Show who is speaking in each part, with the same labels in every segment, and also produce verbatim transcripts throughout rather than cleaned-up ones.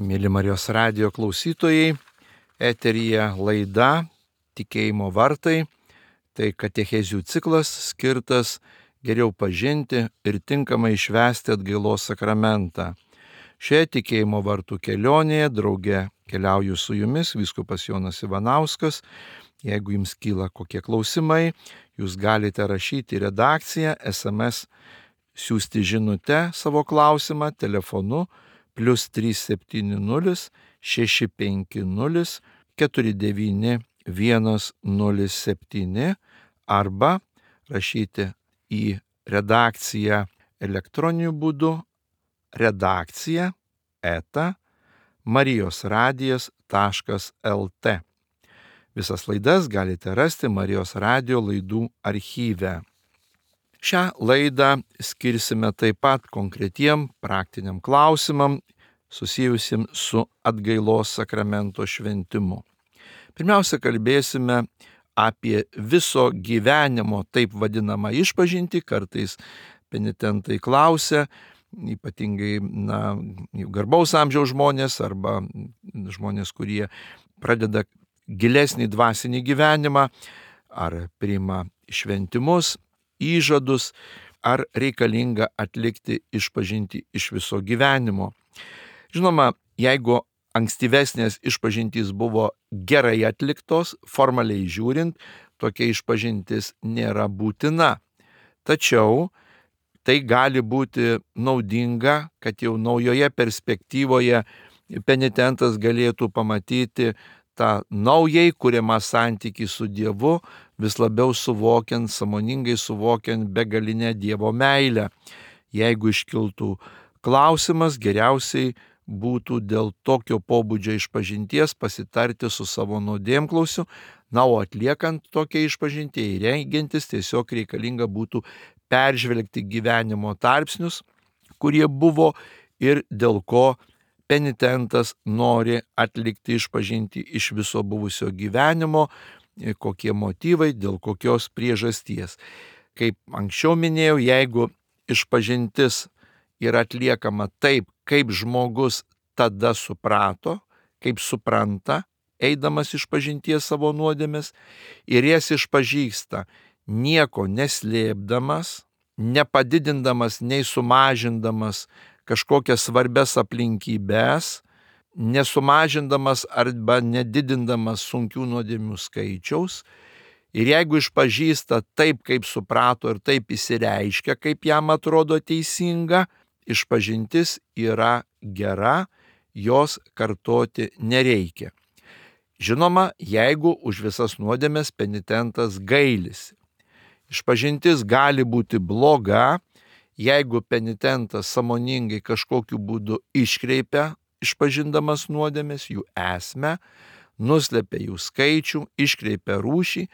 Speaker 1: Mėly Marijos radijo klausytojai, eteryje laida Tikėjimo vartai, tai katechezių ciklas skirtas geriau pažinti ir tinkamai švęsti atgailos sakramentą. Šioje Tikėjimo vartų kelionėje drauge keliauju su jumis vyskupas Jonas Ivanauskas. Jeigu jums kyla kokie klausimai, jūs galite rašyti į redakciją, es em es siųsti žinutę savo klausimą telefonu plius trys septyni nulis šeši penki nulis keturi devyni vienas nulis septyni arba rašyti į redakciją elektroniniu būdu redakcija eta marijosradijas taškas lt. Visas laidas galite rasti Marijos radijo laidų archyve. Šią laidą skirsime taip pat konkretiem praktiniam klausimam susijusim su atgailos sakramento šventimu. Pirmiausia, kalbėsime apie viso gyvenimo taip vadinamą išpažintį. Kartais penitentai klausia, ypatingai na, garbaus amžiaus žmonės arba žmonės, kurie pradeda gilesnį dvasinį gyvenimą, ar priima šventimus, įžadus, ar reikalinga atlikti išpažintį iš viso gyvenimo. Žinoma, jeigu ankstyvesnės išpažintys buvo gerai atliktos, formaliai žiūrint, tokia išpažintis nėra būtina. Tačiau tai gali būti naudinga, kad jau naujoje perspektyvoje penitentas galėtų pamatyti tą naujai kuriamą santykį su Dievu, vis labiau suvokiant, sąmoningai suvokiant begalinę Dievo meilę. Jeigu iškiltų klausimas, geriausiai būtų dėl tokio pobūdžio išpažinties pasitarti su savo nuodėmklausiu, na, o atliekant tokią išpažintį, įrengiantis, tiesiog reikalinga būtų peržvelgti gyvenimo tarpsnius, kurie buvo ir dėl ko penitentas nori atlikti išpažintį iš viso buvusio gyvenimo, kokie motyvai, dėl kokios priežasties. Kaip anksčiau minėjau, jeigu išpažintis yra atliekama taip, kaip žmogus tada suprato, kaip supranta, eidamas išpažinties savo nuodėmes, ir jas išpažįsta nieko neslėpdamas, nepadidindamas, nei sumažindamas kažkokias svarbias aplinkybės, nesumažindamas arba nedidindamas sunkių nuodėmių skaičiaus. Ir jeigu išpažįsta taip, kaip suprato ir taip įsireiškia, kaip jam atrodo teisinga, išpažintis yra gera, jos kartoti nereikia. Žinoma, jeigu už visas nuodėmes penitentas gailisi. Išpažintis gali būti bloga, jeigu penitentas sąmoningai kažkokiu būdu iškreipia išpažindamas nuodėmes, jų esmę, nuslepia jų skaičių, iškreipia rūšį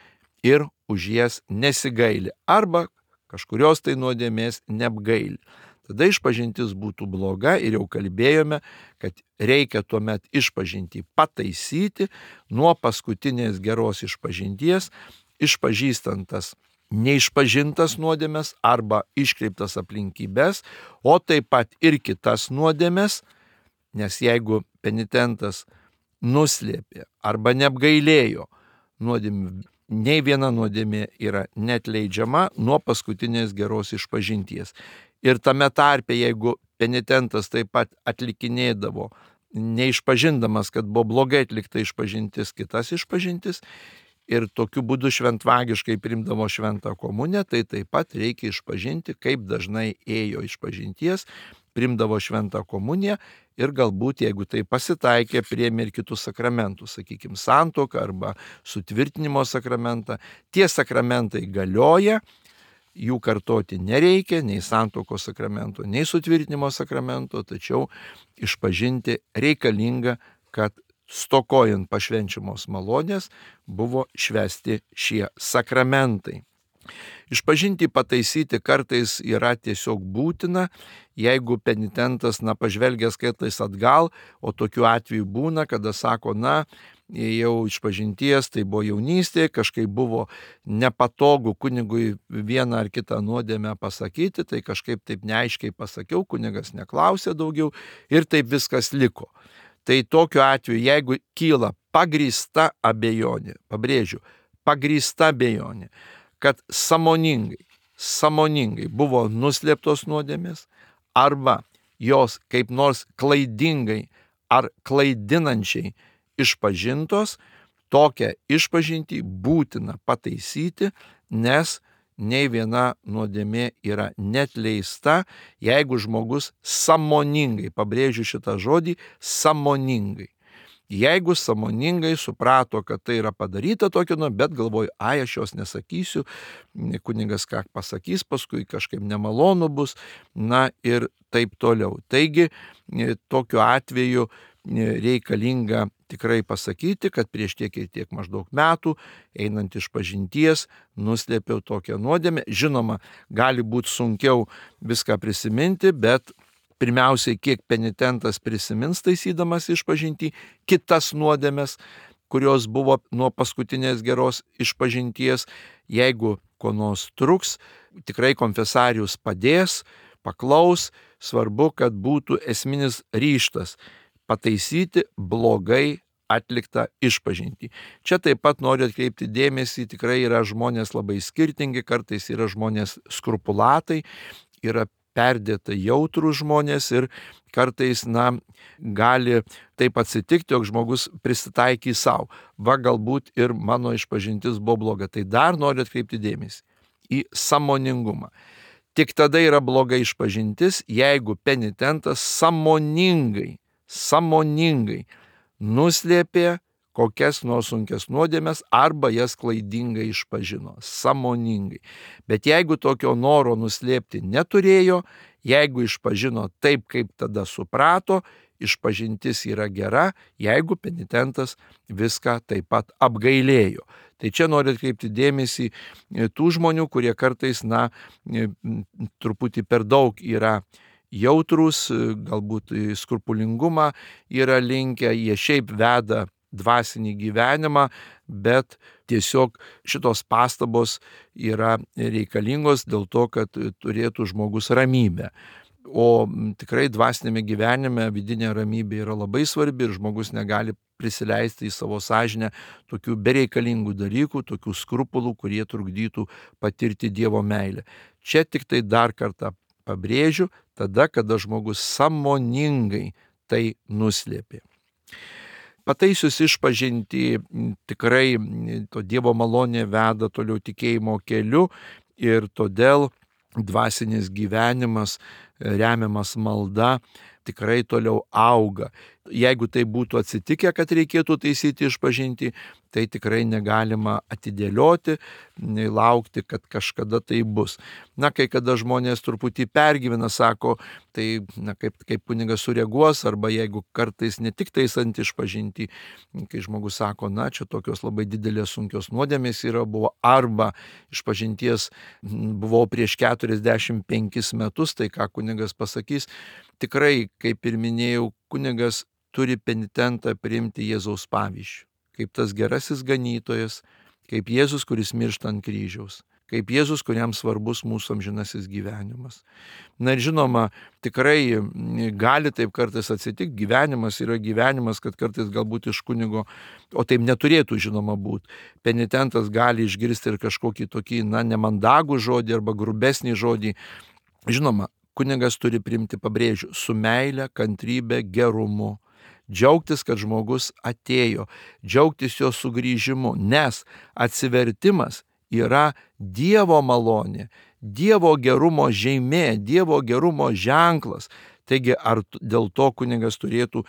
Speaker 1: ir už jas nesigaili arba kažkurios tai nuodėmės neapgaili. Tada išpažintis būtų bloga ir jau kalbėjome, kad reikia tuomet išpažintį pataisyti nuo paskutinės geros išpažinties, išpažįstant tas neišpažintas nuodėmes arba iškreiptas aplinkybės, o taip pat ir kitas nuodėmes, nes jeigu penitentas nuslėpė arba neapgailėjo nuodėmių, nei viena nuodėmė yra neatleidžiama nuo paskutinės geros išpažinties. Ir tame tarpe, jeigu penitentas taip pat atlikinėdavo, neišpažindamas, kad buvo blogai atlikta išpažintis, kitas išpažintis, ir tokiu būdu šventvagiškai priimdavo šventą komuniją, tai taip pat reikia išpažinti, kaip dažnai ėjo išpažinties, priimdavo šventą komuniją ir galbūt, jeigu tai pasitaikė, priėmė ir kitus sakramentus, sakykime, santuoką arba sutvirtinimo sakramentą. Tie sakramentai galioja, jų kartoti nereikia, nei santuokos sakramento, nei sutvirtinimo sakramento, tačiau išpažinti reikalinga, kad stokojant pašvenčiamos malonės buvo švęsti šie sakramentai. Išpažinti pataisyti kartais yra tiesiog būtina, jeigu penitentas, na, pažvelgęs kartais atgal, o tokiu atveju būna, kada sako, na, jau išpažinties, tai buvo jaunystė, kažkaip buvo nepatogu kunigui vieną ar kitą nuodėmę pasakyti, tai kažkaip taip neaiškiai pasakiau, kunigas neklausė daugiau ir taip viskas liko. Tai tokiu atveju, jeigu kyla pagrįsta abejonė, pabrėžiu, pagrįsta abejonė, kad sąmoningai, sąmoningai buvo nuslėptos nuodėmės arba jos kaip nors klaidingai ar klaidinančiai išpažintos, tokią išpažintį būtina pataisyti, nes nei viena nuodėmė yra neatleista, jeigu žmogus sąmoningai, pabrėžiu šitą žodį, sąmoningai. Jeigu sąmoningai suprato, kad tai yra padaryta tokio, nu, bet galvoju, ai, aš jos nesakysiu, kunigas ką pasakys, paskui kažkaip nemalonu bus, na ir taip toliau. Taigi, tokiu atveju reikalinga tikrai pasakyti, kad prieš tiek ir tiek maždaug metų, einant iš pažinties, nuslėpiau tokią nuodėmę. Žinoma, gali būti sunkiau viską prisiminti, bet pirmiausiai, kiek penitentas prisimins taisydamas išpažintį kitas nuodėmes, kurios buvo nuo paskutinės geros išpažinties. Jeigu ko nors truks, tikrai konfesarius padės, paklaus, svarbu, kad būtų esminis ryžtas pataisyti blogai atliktą išpažintį. Čia taip pat noriu atkreipti dėmesį, tikrai yra žmonės labai skirtingi, kartais yra žmonės skrupulatai, yra perdėtai jautrūs žmonės ir kartais, na, gali taip atsitikti, jog žmogus prisitaikys savo. Va, galbūt ir mano išpažintis buvo bloga. Tai dar noriu atkreipti dėmesį į sąmoningumą. Tik tada yra bloga išpažintis, jeigu penitentas sąmoningai, sąmoningai nuslėpė kokias nors sunkias nuodėmes arba jas klaidingai išpažino, sąmoningai. Bet jeigu tokio noro nuslėpti neturėjo, jeigu išpažino taip, kaip tada suprato, išpažintis yra gera, jeigu penitentas viską taip pat apgailėjo. Tai čia noriu atkreipti dėmesį tų žmonių, kurie kartais, na, truputį per daug yra jautrus, galbūt skrupulingumą yra linkę, jie šiaip veda dvasinį gyvenimą, bet tiesiog šitos pastabos yra reikalingos dėl to, kad turėtų žmogus ramybę. O tikrai dvasinėme gyvenime vidinė ramybė yra labai svarbi ir žmogus negali prisileisti į savo sąžinę tokių bereikalingų dalykų, tokių skrupulų, kurie trukdytų patirti Dievo meilę. Čia tik tai dar kartą pabrėžiu, tada, kada žmogus sąmoningai tai nuslėpė. Pataisius išpažintį, tikrai to Dievo malonė veda toliau tikėjimo keliu ir todėl dvasinis gyvenimas, remiamas malda, tikrai toliau auga. Jeigu tai būtų atsitikę, kad reikėtų taisyti išpažintį, tai tikrai negalima atidėlioti, laukti, kad kažkada tai bus. Na, kai kada žmonės truputį pergyvena, sako, tai na, kaip, kaip kunigas sureaguos, arba jeigu kartais ne tik taisant išpažintį, kai žmogus sako, na, čia tokios labai didelės sunkios nuodėmės yra, buvo, arba išpažinties buvau prieš keturiasdešimt penkis metus, tai ką kunigas pasakys, tikrai, kaip ir minėjau, kunigas turi penitentą priimti Jėzaus pavyzdžių, kaip tas gerasis ganytojas, kaip Jėzus, kuris miršta ant kryžiaus, kaip Jėzus, kuriam svarbus mūsų amžinasis gyvenimas. Na ir žinoma, tikrai gali taip kartais atsitikti, gyvenimas yra gyvenimas, kad kartais galbūt iš kunigo, o taip neturėtų žinoma būti, penitentas gali išgirsti ir kažkokį tokį, na, nemandagų žodį arba grubesnį žodį. Žinoma, kunigas turi priimti, pabrėžiu, su meile, kantrybe, gerumu. Džiaugtis, kad žmogus atėjo, džiaugtis jo sugrįžimu, nes atsivertimas yra Dievo malonė, Dievo gerumo žymė, Dievo gerumo ženklas. Taigi, ar dėl to kunigas turėtų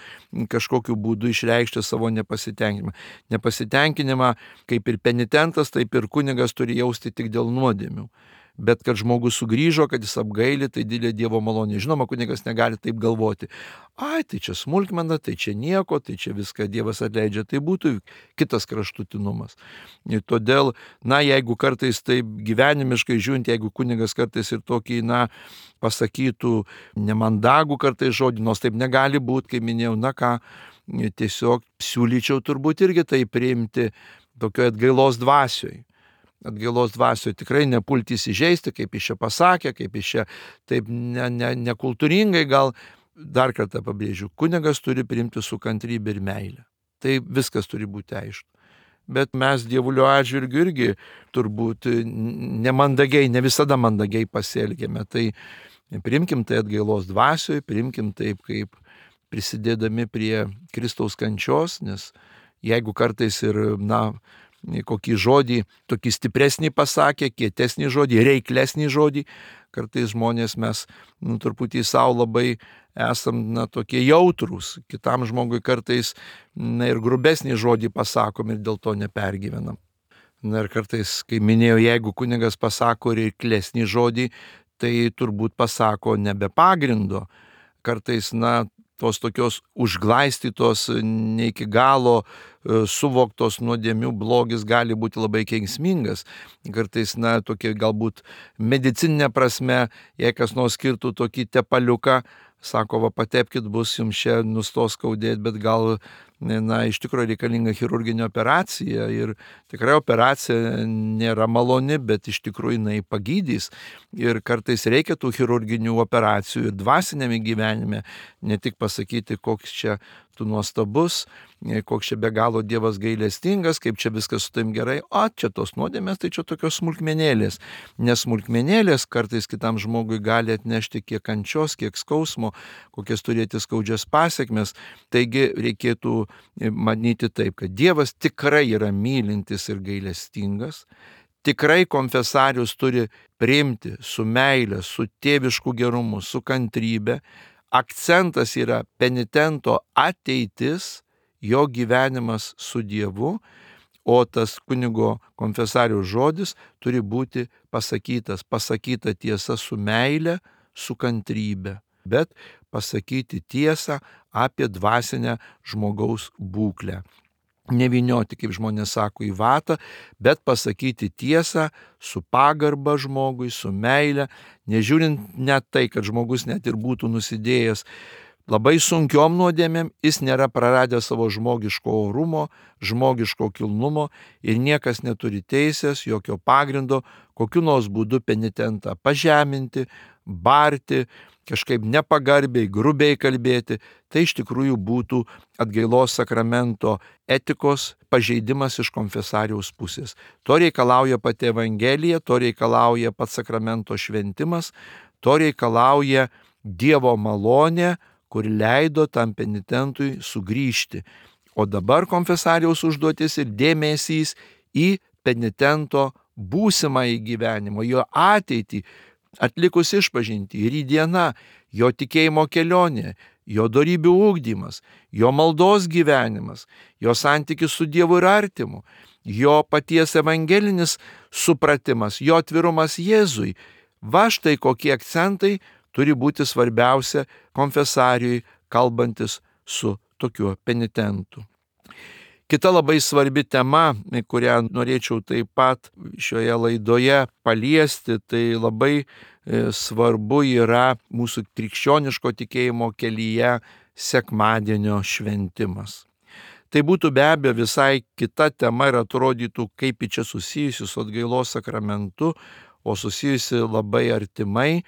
Speaker 1: kažkokiu būdu išreikšti savo nepasitenkinimą? Nepasitenkinimą, kaip ir penitentas, taip ir kunigas turi jausti tik dėl nuodėmių. Bet kad žmogus sugrįžo, kad jis apgaili, tai didelė Dievo malonė. Žinoma, kunigas negali taip galvoti. Ai, tai čia smulkmena, tai čia nieko, tai čia viską Dievas atleidžia. Tai būtų kitas kraštutinumas. Ir todėl, na, jeigu kartais taip gyvenimiškai žiūrint, jeigu kunigas kartais ir tokį, na, pasakytų nemandagų kartais žodį, nors taip negali būti, kaip minėjau, na ką, tiesiog siūlyčiau turbūt irgi tai priimti tokioje atgailos dvasioje. Atgailos dvasioje tikrai nepulti įsižeisti, kaip iš čia pasakė, kaip iš čia taip ne, ne, nekultūringai gal dar kartą pabrėžiu, kunigas turi priimti su kantrybė ir meilė. Tai viskas turi būti aišku. Bet mes dievulio atžvilgiu irgi turbūt nemandagiai, ne visada mandagiai pasielgėme. Tai priimkim tai atgailos dvasioje, priimkim taip, kaip prisidėdami prie Kristaus kančios, nes jeigu kartais ir, na, kokį žodį, tokį stipresnį pasakė, kietesnį žodį, reiklesnį žodį, kartais žmonės mes, nu, truputį savo labai esam, na, tokie jautrūs, kitam žmogui kartais, na, ir grubesnį žodį pasakom ir dėl to nepergyvenam. Na ir kartais, kai minėjau, jeigu kunigas pasako reiklesnį žodį, tai turbūt pasako nebe pagrindo. Kartais, na, tos tokios užglaistytos, ne iki galo suvoktos nuodėmių blogis gali būti labai kenksmingas. Kartais, na, tokia galbūt medicininė prasme, jei kas nors skirtų tokį tepaliuką, sako, va, patepkit, bus jums čia nustos skaudėti, bet gal, na, iš tikrųjų reikalinga chirurginė operacija ir tikrai operacija nėra maloni, bet iš tikrųjų jinai pagydys. Ir kartais reikia tų chirurginių operacijų ir dvasinėme gyvenime, ne tik pasakyti, koks čia tu nuostabus, koks čia be galo Dievas gailestingas, kaip čia viskas su taim gerai, o čia tos nuodėmės, tai čia tokios smulkmenėlės. Nes smulkmenėlės kartais kitam žmogui gali atnešti kiek kančios, kiek skausmo, kokias turėti skaudžias pasiekmes. Taigi reikėtų manyti taip, kad Dievas tikrai yra mylintis ir gailestingas, tikrai konfesarius turi priimti su meile, su tėvišku gerumu, su kantrybė. Akcentas yra penitento ateitis, jo gyvenimas su Dievu, o tas kunigo konfesariaus žodis turi būti pasakytas, pasakyta tiesa su meile, su kantrybė, bet pasakyti tiesą apie dvasinę žmogaus būklę. Nevynioti, kaip žmonės sako, į vatą, bet pasakyti tiesą su pagarba žmogui, su meile, nežiūrint net tai, kad žmogus net ir būtų nusidėjęs labai sunkiom nuodėmėm, jis nėra praradęs savo žmogiško orumo, žmogiško kilnumo ir niekas neturi teisės, jokio pagrindo, kokiu nors būdu penitentą pažeminti, barti, kažkaip nepagarbiai, grubiai kalbėti. Tai iš tikrųjų būtų atgailos sakramento etikos pažeidimas iš konfesariaus pusės. To reikalauja pati Evangelija, to reikalauja pats sakramento šventimas, to reikalauja Dievo malonė, kur leido tam penitentui sugrįžti. O dabar konfesariaus užduotis ir dėmesys į penitento būsimąjį gyvenimą, jo ateitį, atlikus išpažintį, rytdiena, jo tikėjimo kelionė, jo dorybių ugdymas, jo maldos gyvenimas, jo santykis su Dievu ir artimu, jo paties evangelinis supratimas, jo atvirumas Jėzui. Va štai kokie akcentai turi būti svarbiausia konfesarijui, kalbantis su tokiu penitentu. Kita labai svarbi tema, kurią norėčiau taip pat šioje laidoje paliesti, tai labai svarbu yra mūsų krikščioniško tikėjimo kelyje sekmadienio šventimas. Tai būtų be abejo visai kita tema ir atrodytų, kaip čia susijusi su atgailos sakramentu, o susijusi labai artimai,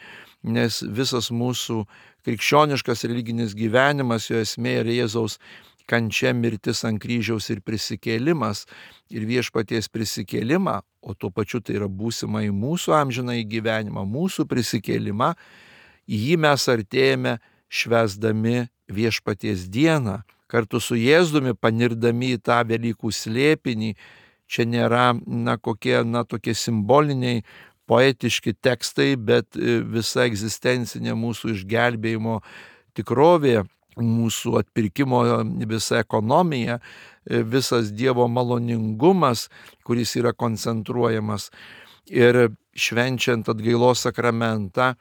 Speaker 1: nes visas mūsų krikščioniškas religinis gyvenimas, jo esmė yra Jėzaus kančia, mirtis ant kryžiaus ir prisikėlimas. Ir viešpaties prisikėlimą, o tuo pačiu tai yra būsimą į mūsų amžinąjį gyvenimą, mūsų prisikėlimą, į jį mes artėjame švęsdami viešpaties dieną, kartu su Jėzumi panirdami į tą Velykų slėpinį. Čia nėra, na, kokie, na, tokie simboliniai, poetiški tekstai, bet visa egzistencinė mūsų išgelbėjimo tikrovė, mūsų atpirkimo visa ekonomija, visas Dievo maloningumas, kuris yra koncentruojamas. Ir švenčiant atgailos sakramentą,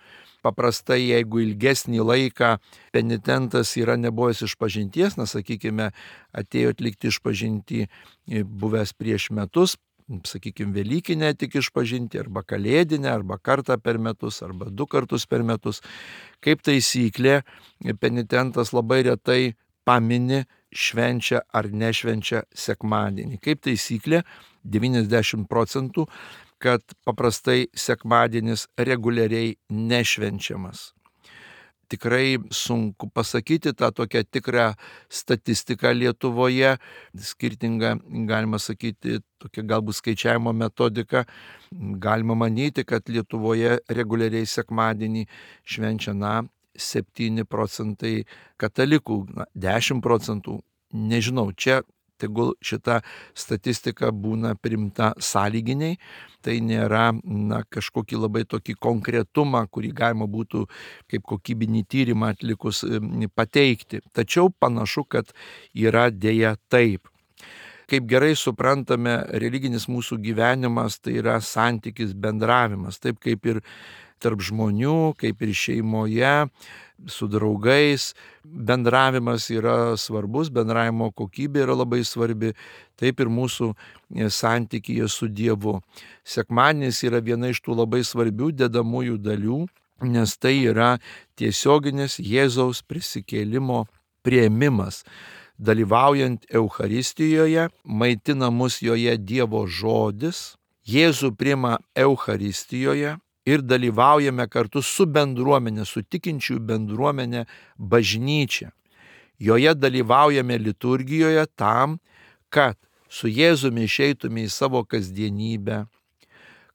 Speaker 1: paprastai, jeigu ilgesnį laiką penitentas yra nebuvęs išpažinties, na, sakykime, atėjo atlikti išpažintį buvęs prieš metus, sakykime, Velykinę tik išpažinti, arba Kalėdinę, arba kartą per metus, arba du kartus per metus. Kaip taisyklė, penitentas labai retai pamini, švenčia ar nešvenčia sekmadienį. Kaip taisyklė, devyniasdešimt procentų, kad paprastai sekmadienis reguliariai nešvenčiamas. tikrai sunku pasakyti tą tokią tikrą statistiką Lietuvoje, skirtingą, galima sakyti, tokia galbūt skaičiavimo metodika. Galima manyti, kad Lietuvoje reguliariai sekmadienį švenčia, na, septyni procentai katalikų, na, dešimt procentų, nežinau, čia tegul šita statistika būna priimta sąlyginiai, tai nėra, na, kažkokį labai tokį konkretumą, kurį galima būtų kaip kokybinį tyrimą atlikus pateikti. Tačiau panašu, kad yra dėja taip. Kaip gerai suprantame, religinis mūsų gyvenimas tai yra santykis, bendravimas, taip kaip ir tarp žmonių, kaip ir šeimoje, su draugais. Bendravimas yra svarbus, bendravimo kokybė yra labai svarbi, taip ir mūsų santykyje su Dievu. Sekmadienis yra viena iš tų labai svarbių dedamųjų dalių, nes tai yra tiesioginis Jėzaus prisikėlimo priėmimas. Dalyvaujant Eucharistijoje, maitina mus joje Dievo žodis, Jėzų priima Eucharistijoje, ir dalyvaujame kartu su bendruomenė, su tikinčiųjų bendruomenė, bažnyčia. Joje dalyvaujame liturgijoje tam, kad su Jėzumi išeitume į savo kasdienybę,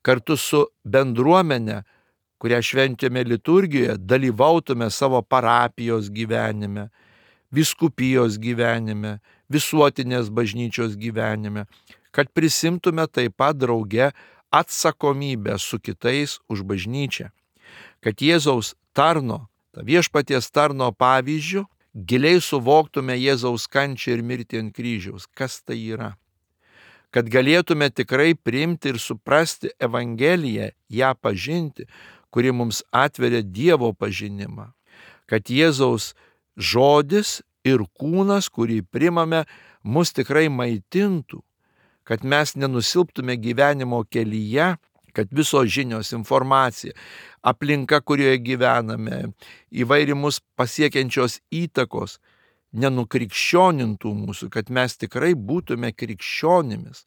Speaker 1: kartu su bendruomenė, kurią šventėme liturgijoje, dalyvautume savo parapijos gyvenime, vyskupijos gyvenime, visuotinės bažnyčios gyvenime, kad prisimtume taip pat drauge atsakomybę su kitais už bažnyčią, kad Jėzaus tarno, ta viešpaties tarno pavyzdžių, giliai suvoktume Jėzaus kančią ir mirtį ant kryžiaus, kas tai yra, kad galėtume tikrai priimti ir suprasti Evangeliją, ją pažinti, kuri mums atveria Dievo pažinimą, kad Jėzaus žodis ir kūnas, kurį primame, mus tikrai maitintų, kad mes nenusilptume gyvenimo kelyje, kad visos žinios, informacija, aplinka, kurioje gyvename, įvairi mus pasiekiančios įtakos nenukrikščionintų mūsų, kad mes tikrai būtume krikščionimis,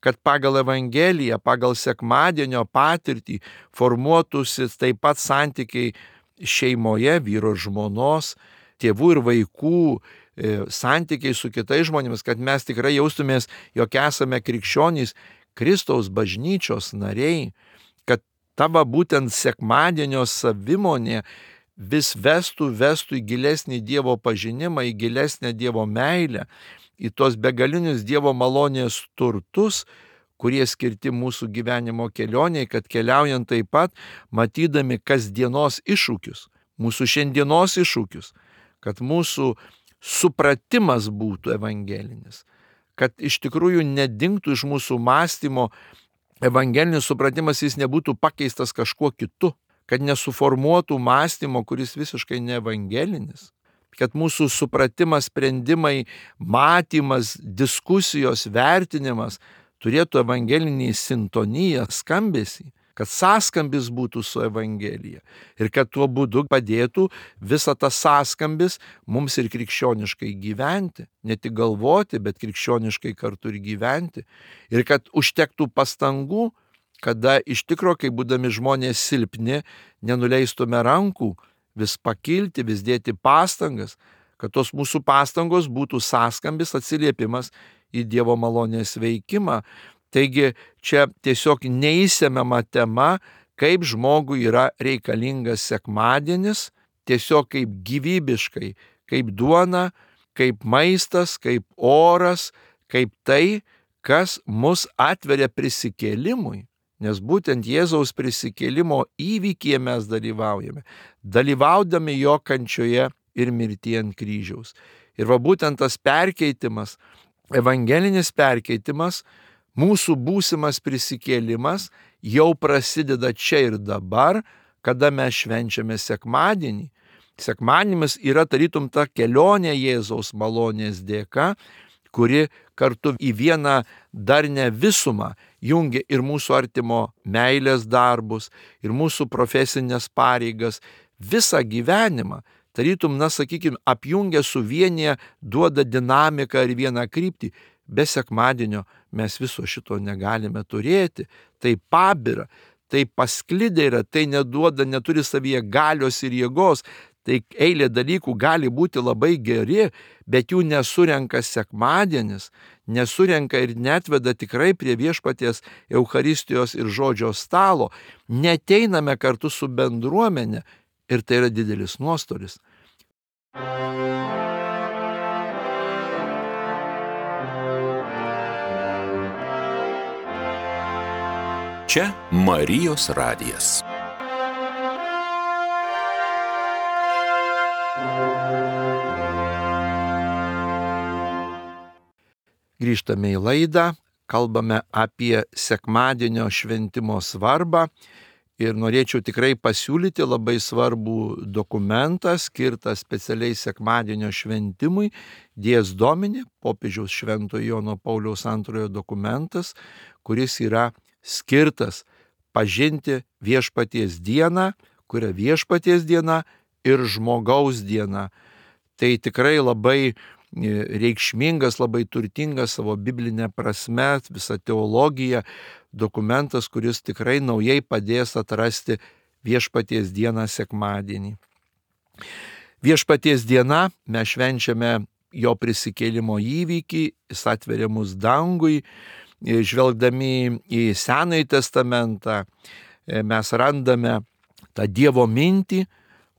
Speaker 1: kad pagal Evangeliją, pagal sekmadienio patirtį formuotųsi taip pat santykiai šeimoje, vyro ir žmonos, tėvų ir vaikų, santykiai su kitais žmonėmis, kad mes tikrai jaustumės, jog esame krikščionys, Kristaus bažnyčios nariai, kad tavo būtent sekmadienio savimonė vis vestų, vestų į gilesnį Dievo pažinimą, į gilesnę Dievo meilę, į tos begalinius Dievo malonės turtus, kurie skirti mūsų gyvenimo kelioniai, kad keliaujant taip pat, matydami kasdienos iššūkius, mūsų šiandienos iššūkius, kad mūsų supratimas būtų evangelinis, kad iš tikrųjų nedingtų iš mūsų mąstymo evangelinis supratimas, jis nebūtų pakeistas kažkuo kitu, kad nesuformuotų mąstymo, kuris visiškai neevangelinis, kad mūsų supratimas, sprendimai, matymas, diskusijos, vertinimas turėtų evangelinį sintoniją, skambesį, kad sąskambis būtų su Evangelija ir kad tuo būdu padėtų visą tą sąskambis mums ir krikščioniškai gyventi, ne tik galvoti, bet krikščioniškai kartu ir gyventi, ir kad užtektų pastangų, kada iš tikro, kai būdami žmonės silpni, nenuleistume rankų, vis pakilti, vis dėti pastangas, kad tos mūsų pastangos būtų sąskambis, atsiliepimas į Dievo malonės veikimą. Taigi čia tiesiog neįsemiama tema, kaip žmogui yra reikalingas sekmadienis, tiesiog kaip gyvybiškai, kaip duona, kaip maistas, kaip oras, kaip tai, kas mus atveria prisikėlimui. Nes būtent Jėzaus prisikėlimo įvykyje mes dalyvaujame, dalyvaudami jo kančioje ir mirtyje ant kryžiaus. Ir va būtent tas perkeitimas, evangelinis perkeitimas, mūsų būsimas prisikėlimas jau prasideda čia ir dabar, kada mes švenčiame sekmadienį. Sekmadienis yra tarytum ta kelionė Jėzaus malonės dėka, kuri kartu į vieną darnią visumą jungia ir mūsų artimo meilės darbus, ir mūsų profesinės pareigas, visą gyvenimą. Tarytum, na, sakykime, apjungia, suvienyje, duoda dinamiką ir vieną kryptį. Be sekmadienio mes viso šito negalime turėti. Tai pabira, tai pasklidę yra, tai neduoda, neturi savyje galios ir jėgos. Tai eilė dalykų gali būti labai geri, bet jų nesurenka sekmadienis, nesurenka ir netveda tikrai prie viešpaties Eucharistijos ir žodžio stalo. Neteiname kartu su bendruomenė ir tai yra didelis nuostolis.
Speaker 2: Čia Marijos radijas.
Speaker 1: Grįžtame į laidą, kalbame apie sekmadienio šventimo svarbą ir norėčiau tikrai pasiūlyti labai svarbų dokumentą skirtą specialiai sekmadienio šventimui, Dies Domini, popiežiaus Šventojo Jono Pauliaus antrojo dokumentas, kuris yra skirtas pažinti viešpaties dieną, kuria viešpaties diena ir žmogaus diena. Tai tikrai labai reikšmingas, labai turtingas savo biblinė prasme, visa teologija, dokumentas, kuris tikrai naujai padės atrasti viešpaties dieną sekmadienį. Viešpaties diena, mes švenčiame jo prisikėlimo įvykį, jis atveria mus dangui, žvelgdami į Senąjį testamentą, mes randame tą Dievo mintį,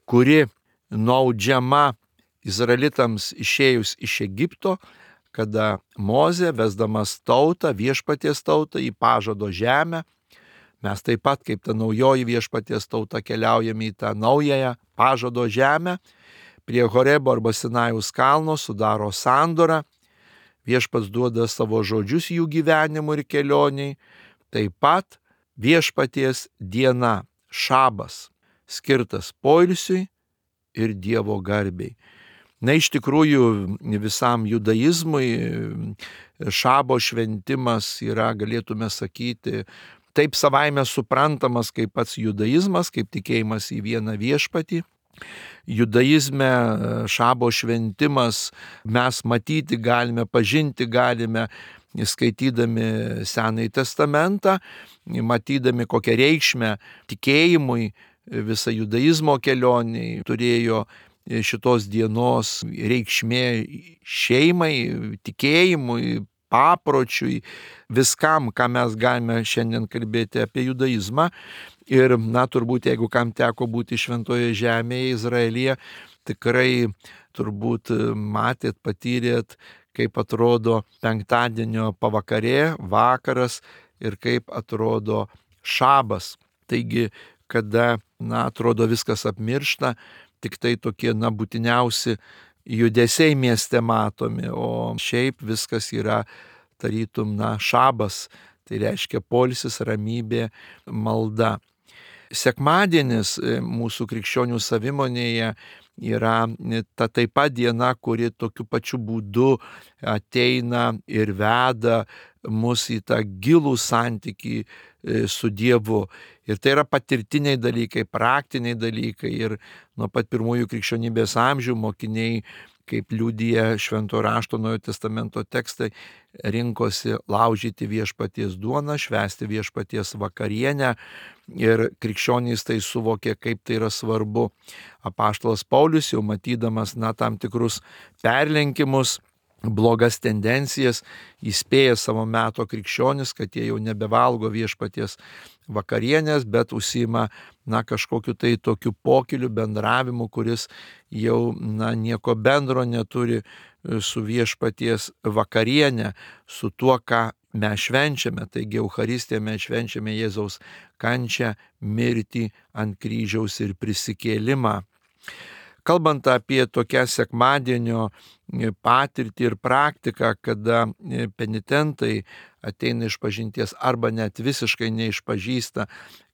Speaker 1: kuri nuaudžiama Izraelitams išėjus iš Egipto, kada Mozė, vesdamas tautą, viešpaties tautą į pažado žemę, mes taip pat kaip ta naujoji viešpaties tauta keliaujame į tą naująją pažado žemę, prie Horebo arba Sinajaus kalno sudaro sandorą, viešpats duoda savo žodžius jų gyvenimui ir kelioniai, taip pat viešpaties diena, šabas, skirtas poilsiui ir Dievo garbei. Na, iš tikrųjų, visam judaizmui šabo šventimas yra, galėtume sakyti, taip savaime suprantamas kaip pats judaizmas, kaip tikėjimas į vieną viešpatį. Judaizme šabo šventimas mes matyti galime, pažinti galime, skaitydami Senąjį testamentą, matydami kokią reikšmę tikėjimui, visą judaizmo kelionį turėjo šitos dienos reikšmė šeimai, tikėjimui, papročiui, viskam, ką mes galime šiandien kalbėti apie judaizmą. Ir, na, turbūt, jeigu kam teko būti šventoje žemėje, Izraelyje, tikrai turbūt matėt, patyrėt, kaip atrodo penktadienio pavakarė, vakaras ir kaip atrodo šabas. Taigi, kada, na, atrodo viskas apmiršta, tik tai tokie, na, būtiniausi judesiai mieste matomi, o šiaip viskas yra tarytum, na, šabas, tai reiškia poilsis, ramybė, malda. Sekmadienis mūsų krikščionių savimonėje yra ta taip pat diena, kuri tokiu pačiu būdu ateina ir veda mus į tą gilų santykį su Dievu. Ir tai yra patirtiniai dalykai, praktiniai dalykai. Ir nuo pat pirmųjų krikščionybės amžių mokiniai, kaip liudija Šventojo rašto Naujojo testamento tekstai, rinkosi laužyti viešpaties duoną, švęsti viešpaties vakarienę. Ir krikščionys tai suvokė, kaip tai yra svarbu. Apaštalas Paulius, jau matydamas, na, tam tikrus perlenkimus, blogas tendencijas, įspėja savo meto krikščionis, kad jie jau nebevalgo viešpaties vakarienės, bet užsiima, na, kažkokiu tai tokiu pokyliu, bendravimu, kuris jau, na, nieko bendro neturi su viešpaties vakarienė, su tuo, ką mes švenčiame. Taigi Eucharistiją mes švenčiame Jėzaus kančią, mirtį ant kryžiaus ir prisikėlimą. Kalbant apie tokią sekmadienio patirtį ir praktiką, kada penitentai ateina iš pažinties arba net visiškai neišpažįsta,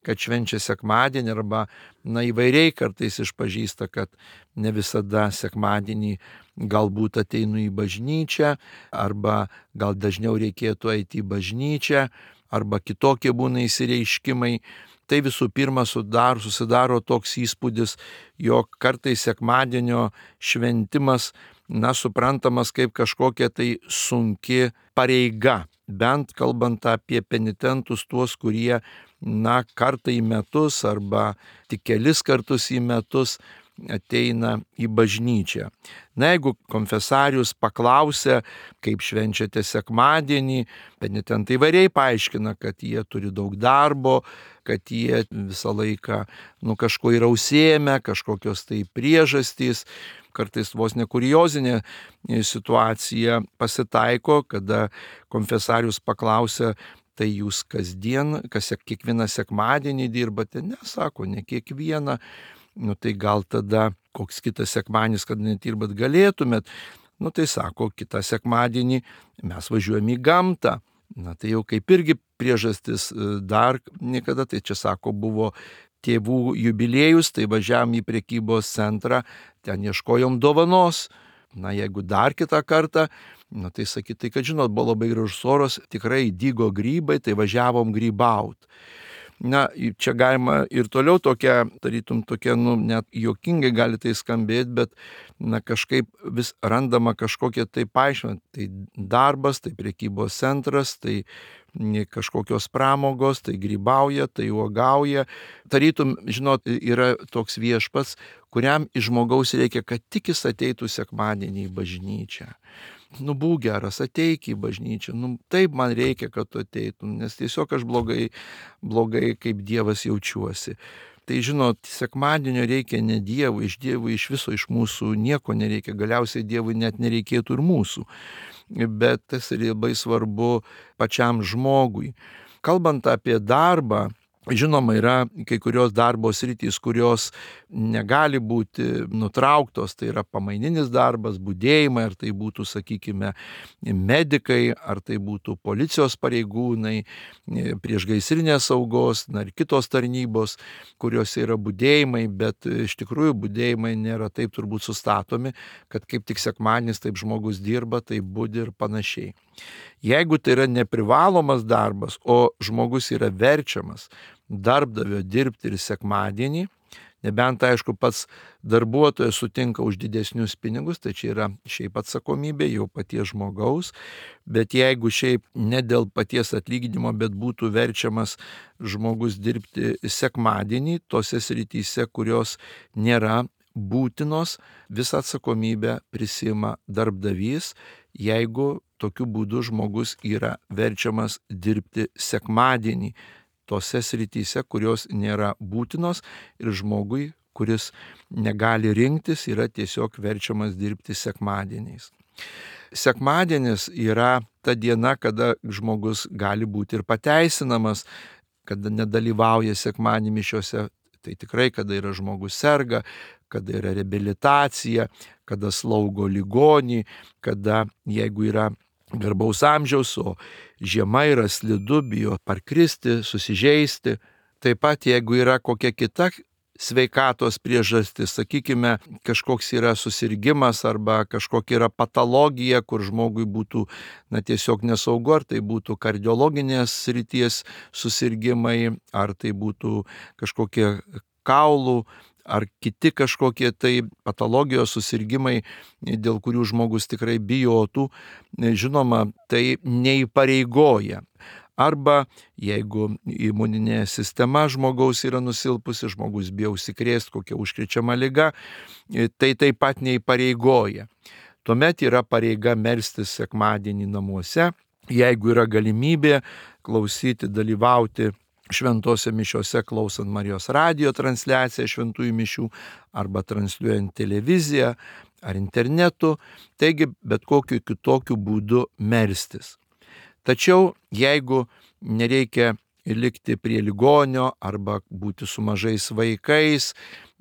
Speaker 1: kad švenčia sekmadienį, arba, na, įvairiai kartais išpažįsta, kad ne visada sekmadienį galbūt ateinu į bažnyčią, arba gal dažniau reikėtų eiti į bažnyčią, arba kitokie būna įsireiškimai. Tai visų pirma sudaro, susidaro toks įspūdis, jog kartais sekmadienio šventimas, na, suprantamas kaip kažkokia tai sunki pareiga, bent kalbant apie penitentus, tuos, kurie, na, kartą į metus arba tik kelis kartus į metus ateina į bažnyčią. Na, jeigu konfesarius paklausia, kaip švenčiate sekmadienį, penitentai įvairiai paaiškina, kad jie turi daug darbo, kad jie visą laiką nu, kažko yra užsiėmę, kažkokios tai priežastys. Kartais vos ne kuriozinė situacija pasitaiko, kada konfesarius paklausia, tai jūs kasdien, kas kiekvieną sekmadienį dirbate? Ne, sako, ne kiekvieną. Nu tai gal tada koks kitas sekmadienis, kad nedirbat galėtumėt. Nu tai sako, kitą sekmadienį mes važiuojame į gamtą. Na tai jau kaip irgi priežastis dar niekada, tai čia sako, buvo tėvų jubiliejus, tai važiavam į prekybos centrą, ten ieškojom dovanos. Na jeigu dar kitą kartą, nu tai sakyti, tai kad žinot, buvo labai gražus oras, tikrai dygo grybai, tai važiavom grybaut. Na, čia galima ir toliau tokia, tarytum tokia, nu, net juokingai gali tai skambėti, bet, na, kažkaip vis randama kažkokie tai paaiškinimai. Tai darbas, tai prekybos centras, tai kažkokios pramogos, tai grybauja, tai uogauja. Tarytum, žinot, yra toks viešpats, kuriam iš žmogaus reikia, kad tik jis ateitų sekmadienį į bažnyčią. Nu, būk geras, ateik į bažnyčią. Nu, taip man reikia, kad tu ateitum, nes tiesiog aš blogai, blogai kaip Dievas jaučiuosi. Tai žinot, sekmadienio reikia ne Dievui, iš Dievui iš viso iš mūsų nieko nereikia, galiausiai Dievui net nereikėtų ir mūsų. Bet tas labai svarbu pačiam žmogui. Kalbant apie darbą, žinoma, yra kai kurios darbo sritys, kurios negali būti nutrauktos, tai yra pamaininis darbas, budėjimai, ar tai būtų, sakykime, medikai, ar tai būtų policijos pareigūnai, priešgaisrinės saugos, na, ir kitos tarnybos, kuriuose yra budėjimai, bet iš tikrųjų budėjimai nėra taip turbūt sustatomi, kad kaip tik sekmadienis taip žmogus dirba, tai budi ir panašiai. Jeigu tai yra neprivalomas darbas, o žmogus yra verčiamas darbdavio dirbti ir sekmadienį, nebent, aišku, pats darbuotojas sutinka už didesnius pinigus, tai čia yra šiaip atsakomybė jau paties žmogaus, bet jeigu šiaip ne dėl paties atlyginimo, bet būtų verčiamas žmogus dirbti sekmadienį, tose srityse, kurios nėra būtinos, visą atsakomybę prisima darbdavys, jeigu tokiu būdu žmogus yra verčiamas dirbti sekmadienį, tose srityse, kurios nėra būtinos, ir žmogui, kuris negali rinktis, yra tiesiog verčiamas dirbti sekmadieniais. Sekmadienis yra ta diena, kada žmogus gali būti ir pateisinamas, kada nedalyvauja sekmadienį mišiose, tai tikrai, kada yra žmogus serga, kada yra reabilitacija, kada slaugo ligonį, kada jeigu yra garbaus amžiaus, o žiema yra slidu, bijo parkristi, susižeisti. Taip pat jeigu yra kokia kita sveikatos priežastis, sakykime, kažkoks yra susirgimas arba kažkokia yra patologija, kur žmogui būtų na, tiesiog nesaugu, ar tai būtų kardiologinės srities susirgimai, ar tai būtų kažkokie kaulų, ar kiti kažkokie tai patologijos susirgimai, dėl kurių žmogus tikrai bijotų, žinoma, tai neįpareigoja. Arba jeigu imuninė sistema žmogaus yra nusilpusi, žmogus bijo užsikrėsti kokią užkrečiamą ligą, tai taip pat neįpareigoja. Tuomet yra pareiga melstis sekmadienį namuose, jeigu yra galimybė klausyti, dalyvauti šventose mišiose, klausant Marijos radijo transliaciją šventųjų mišių, arba transliuojant televiziją ar internetu, taigi bet kokiu kitokiu būdu melstis. Tačiau jeigu nereikia likti prie ligonio, arba būti su mažais vaikais,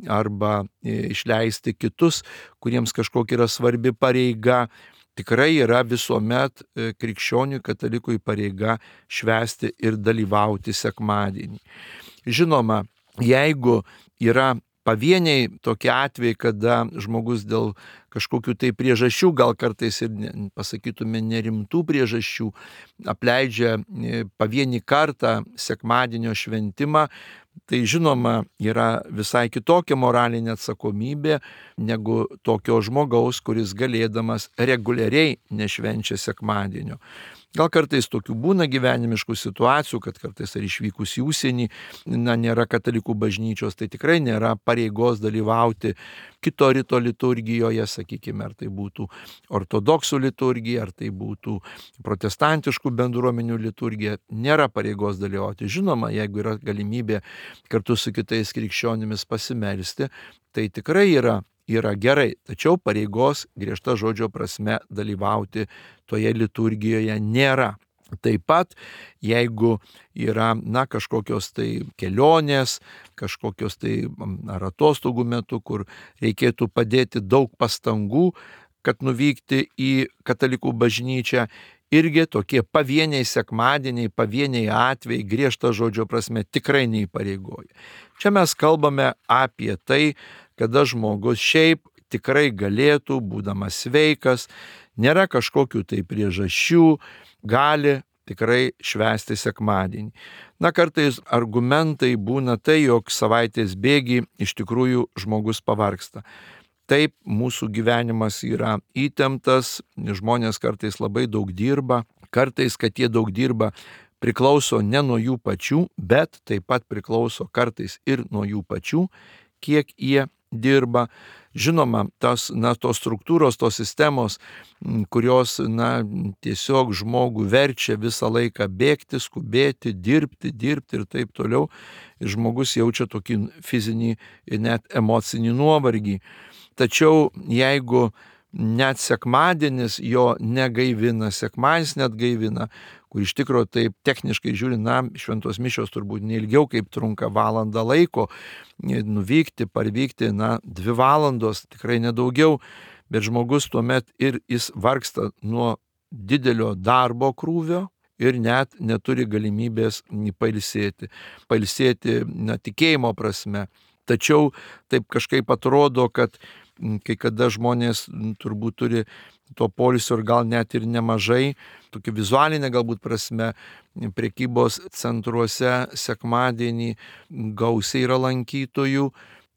Speaker 1: arba išleisti kitus, kuriems kažkokia yra svarbi pareiga, tikrai yra visuomet krikščioniui katalikui pareiga švęsti ir dalyvauti sekmadienį. Žinoma, jeigu yra pavieniai tokie atvejai, kada žmogus dėl kažkokių tai priežasčių, gal kartais ir ne, pasakytume nerimtų priežasčių, apleidžia pavienį kartą sekmadienio šventimą, tai žinoma yra visai kitokia moralinė atsakomybė negu tokio žmogaus, kuris galėdamas reguliariai nešvenčia sekmadienio. Gal kartais tokių būna gyvenimiškų situacijų, kad kartais ar išvykus į užsienį, na, nėra katalikų bažnyčios, tai tikrai nėra pareigos dalyvauti kito rito liturgijoje, sakykime, ar tai būtų ortodoksų liturgija, ar tai būtų protestantiškų bendruomenių liturgija, nėra pareigos dalyvauti. Žinoma, jeigu yra galimybė kartu su kitais krikščionimis pasimelsti, tai tikrai yra yra gerai, tačiau pareigos griežta žodžio prasme dalyvauti toje liturgijoje nėra. Taip pat, jeigu yra, na, kažkokios tai kelionės, kažkokios tai ar atostogų metu, kur reikėtų padėti daug pastangų, kad nuvykti į katalikų bažnyčią, irgi tokie pavieniai sekmadieniai, pavieniai atvejai griežta žodžio prasme tikrai neįpareigoja. Čia mes kalbame apie tai, kada žmogus šiaip tikrai galėtų, būdamas sveikas, nėra kažkokių tai priežasčių, gali tikrai švęsti sekmadienį. Na, kartais argumentai būna tai, jog savaitės bėgy iš tikrųjų žmogus pavargsta. Taip, mūsų gyvenimas yra įtemptas, žmonės kartais labai daug dirba, kartais, kad jie daug dirba, priklauso ne nuo jų pačių, bet taip pat priklauso kartais ir nuo jų pačių, kiek jie dirba. Žinoma, tas, na, tos struktūros, tos sistemos, kurios, na, tiesiog žmogų verčia visą laiką bėgti, skubėti, dirbti, dirbti ir taip toliau, žmogus jaučia tokį fizinį ir net emocinį nuovargį. Tačiau jeigu net sekmadienis jo negaivina, sekmadienis net gaivina, kur iš tikrųjų taip techniškai žiūrint, na, šventos mišios turbūt neilgiau kaip trunka valandą laiko, nuvykti, parvykti, na, dvi valandos, tikrai nedaugiau, bet žmogus tuomet ir jis vargsta nuo didelio darbo krūvio ir net neturi galimybės pailsėti. Pailsėti, na, tikėjimo prasme. Tačiau taip kažkaip atrodo, kad kai kada žmonės turbūt turi to poilsio ir gal net ir nemažai, tokia vizualinė galbūt prasme, prekybos centruose sekmadienį gausiai yra lankytojų,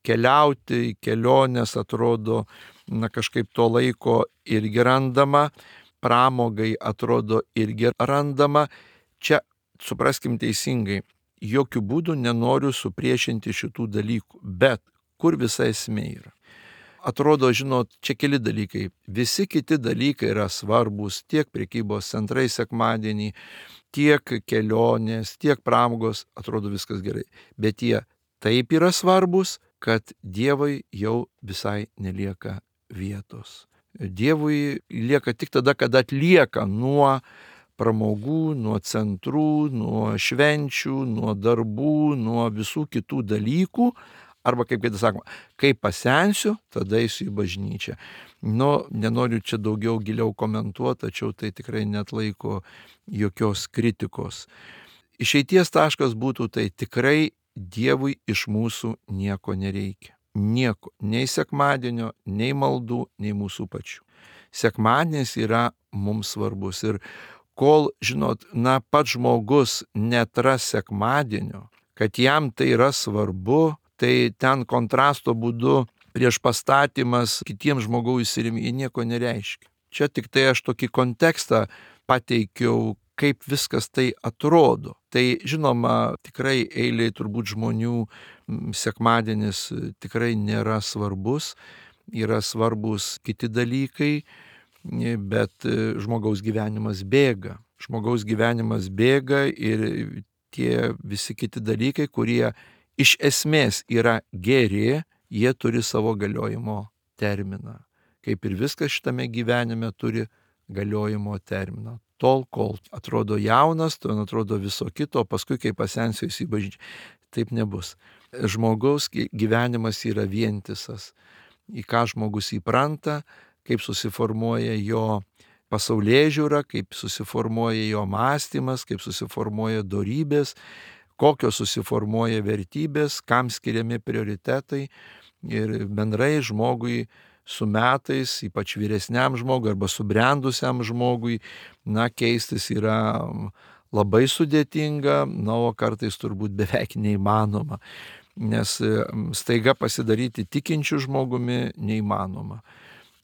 Speaker 1: keliauti į keliones atrodo, na, kažkaip to laiko irgi randama, pramogai atrodo irgi randama. Čia supraskim teisingai, jokių būdų nenoriu supriešinti šitų dalykų, bet kur visa esmė yra? Atrodo, žinot, čia keli dalykai. Visi kiti dalykai yra svarbus, tiek prekybos centrai sekmadienį, tiek kelionės, tiek pramogos, atrodo viskas gerai. Bet jie taip yra svarbus, kad Dievui jau visai nelieka vietos. Dievui lieka tik tada, kada atlieka nuo pramogų, nuo centrų, nuo švenčių, nuo darbų, nuo visų kitų dalykų. Arba, kaip kai sakoma, kai pasensiu, tada eisiu į bažnyčią. Nu, nenoriu čia daugiau giliau komentuoti, tačiau tai tikrai netlaiko jokios kritikos. Išeities taškas būtų tai tikrai Dievui iš mūsų nieko nereikia. Nieko. Nei sekmadienio, nei maldų, nei mūsų pačių. Sekmadienis yra mums svarbus. Ir kol, žinot, na, pats žmogus netras sekmadienio, kad jam tai yra svarbu, tai ten kontrasto būdu prieš pastatymas kitiems žmogaus ir jie nieko nereiškia. Čia tik tai aš tokį kontekstą pateikiau, kaip viskas tai atrodo. Tai žinoma, tikrai eiliai turbūt žmonių sekmadienis tikrai nėra svarbus, yra svarbus kiti dalykai, bet žmogaus gyvenimas bėga. Žmogaus gyvenimas bėga ir tie visi kiti dalykai, kurie iš esmės yra geri, jie turi savo galiojimo terminą. Kaip ir viskas šitame gyvenime turi galiojimo terminą. Tol, kol atrodo jaunas, tol atrodo viso kito, paskui kai pasensiu į bažnyčią. Taip nebus. Žmogaus gyvenimas yra vientisas. Į ką žmogus įpranta, kaip susiformuoja jo pasaulėžiūra, kaip susiformuoja jo mąstymas, kaip susiformuoja dorybės, kokios susiformuoja vertybės, kam skiriami prioritetai ir bendrai žmogui su metais, ypač vyresniam žmogui arba subrendusiam žmogui, na, keistis yra labai sudėtinga, na, o kartais turbūt beveik neįmanoma, nes staiga pasidaryti tikinčių žmogumi neįmanoma.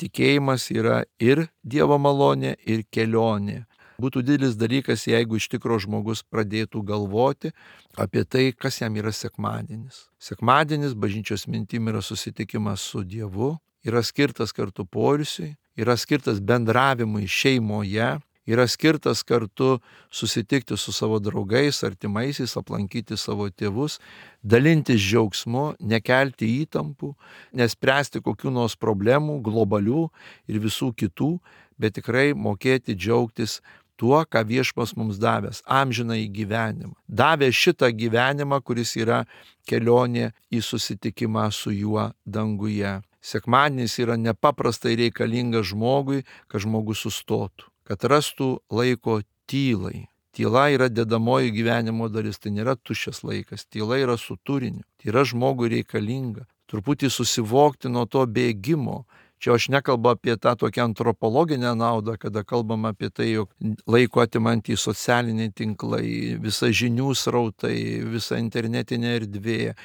Speaker 1: Tikėjimas yra ir Dievo malonė, ir kelionė. Būtų didelis dalykas, jeigu iš tikro žmogus pradėtų galvoti apie tai, kas jam yra sekmadienis. Sekmadienis bažnyčios mintim yra susitikimas su Dievu, yra skirtas kartu poilsiui, yra skirtas bendravimui šeimoje, yra skirtas kartu susitikti su savo draugais, artimaisiais, aplankyti savo tėvus, dalintis džiaugsmu, nekelti įtampų, nespręsti kokių nors problemų, globalių ir visų kitų, bet tikrai mokėti džiaugtis tuo, ką Viešpats mums davęs, amžinąjį gyvenimą. Davė šitą gyvenimą, kuris yra kelionė į susitikimą su juo danguje. Sekmadienis yra nepaprastai reikalingas žmogui, kad žmogus sustotų, kad rastų laiko tylai. Tyla yra dedamoji gyvenimo dalis, tai nėra tuščias laikas, tyla yra su turiniu, tai yra žmogui reikalinga. Truputį susivokti nuo to bėgimo. Čia aš nekalbu apie tą tokią antropologinę naudą, kada kalbam apie tai, jog laiko atimantys socialiniai tinklai, visa žinių srautai, visa internetinė erdvė.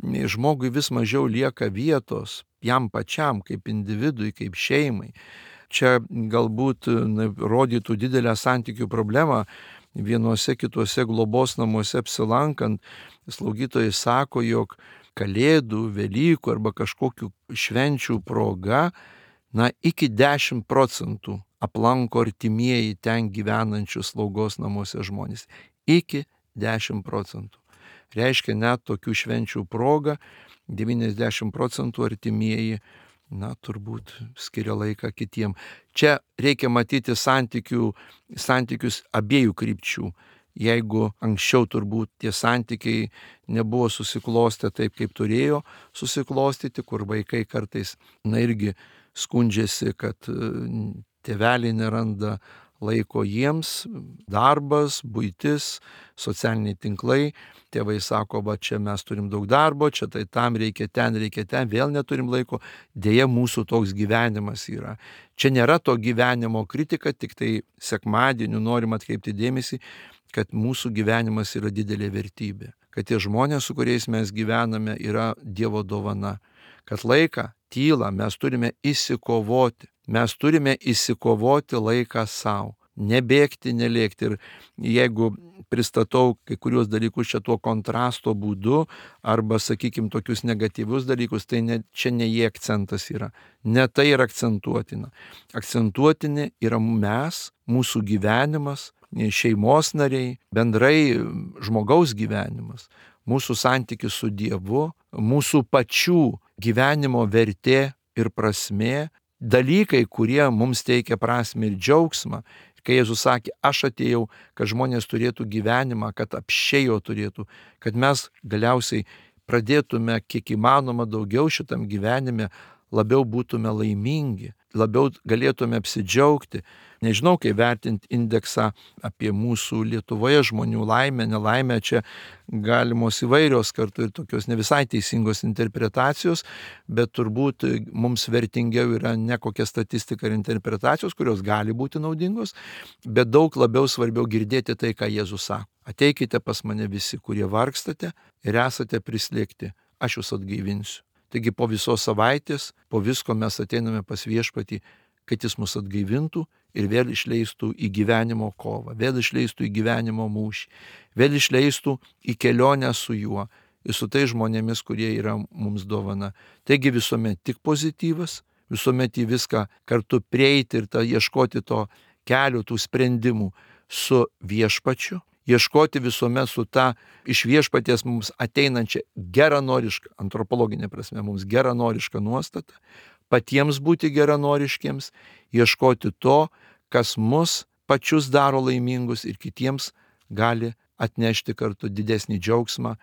Speaker 1: Žmogui vis mažiau lieka vietos jam pačiam, kaip individui, kaip šeimai. Čia galbūt rodytų didelę santykių problemą. Vienuose kituose globos namuose apsilankant, slaugytojai sako, jog Kalėdų, Velykų arba kažkokių švenčių proga, na, iki dešimt procentų aplanko artimieji ten gyvenančius slaugos namuose žmonės. Iki dešimt procentų. Reiškia, net tokių švenčių proga devyniasdešimt procentų artimieji, na, turbūt skiria laiką kitiem. Čia reikia matyti santykių, santykius abiejų krypčių. Jeigu anksčiau turbūt tie santykiai nebuvo susiklostę taip, kaip turėjo susiklostyti, kur vaikai kartais, na, irgi skundžiasi, kad tėveliai neranda laiko jiems, darbas, buitis, socialiniai tinklai. Tėvai sako, va čia mes turim daug darbo, čia tai tam reikia, ten reikia, ten vėl neturim laiko. Deja, mūsų toks gyvenimas yra. Čia nėra to gyvenimo kritika, tik tai sekmadieniu norim atkreipti dėmesį, kad mūsų gyvenimas yra didelė vertybė. Kad tie žmonės, su kuriais mes gyvename, yra Dievo dovana. Kad laiką, tylą mes turime įsikovoti. Mes turime įsikovoti laiką savo. Nebėgti, nelėkti. Ir jeigu pristatau kai kurios dalykus čia tuo kontrasto būdu, arba, sakykime, tokius negatyvius dalykus, tai ne, čia ne jie akcentas yra. Ne tai yra akcentuotina. Akcentuotini yra mes, mūsų gyvenimas, šeimos nariai, bendrai žmogaus gyvenimas, mūsų santykis su Dievu, mūsų pačių gyvenimo vertė ir prasmė, dalykai, kurie mums teikia prasmę ir džiaugsmą. Kai Jėzus sakė, aš atėjau, kad žmonės turėtų gyvenimą, kad apsčiojo turėtų, kad mes galiausiai pradėtume kiek įmanoma daugiau šitam gyvenime, labiau būtume laimingi, labiau galėtume apsidžiaugti. Nežinau, kaip vertinti indeksą apie mūsų Lietuvoje žmonių laimę, nelaimę, čia galimos įvairios kartu ir tokios ne visai teisingos interpretacijos, bet turbūt mums vertingiau yra ne kokia statistika ir interpretacijos, kurios gali būti naudingos, bet daug labiau svarbiau girdėti tai, ką Jėzus sako. Ateikite pas mane visi, kurie vargstate ir esate prislėgti, aš jūs atgaivinsiu. Taigi po visos savaitės, po visko mes ateiname pas Viešpatį, kad jis mus atgaivintų ir vėl išleistų į gyvenimo kovą, vėl išleistų į gyvenimo mūšį, vėl išleistų į kelionę su juo ir su tai žmonėmis, kurie yra mums dovana. Taigi visuomet tik pozityvas, visuomet į viską kartu prieiti ir ta, ieškoti to kelio, tų sprendimų su Viešpačiu, ieškoti visuomet su ta iš Viešpaties mums ateinančia geranoriška, antropologinė prasme, mums geranoriška nuostata, patiems būti geranoriškiems, ieškoti to, kas mus pačius daro laimingus ir kitiems gali atnešti kartu didesnį džiaugsmą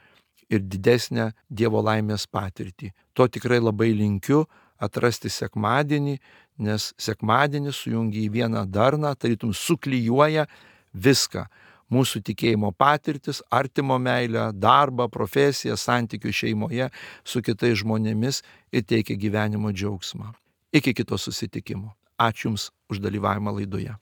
Speaker 1: ir didesnę Dievo laimės patirtį. To tikrai labai linkiu atrasti sekmadienį, nes sekmadienis sujungia į vieną darną, tarytum suklijuoja viską. Mūsų tikėjimo patirtis, artimo meilę, darbą, profesiją, santykių šeimoje su kitais žmonėmis ir teikia gyvenimo džiaugsmą. Iki kito susitikimo. Ačiū Jums už dalyvavimą laidoje.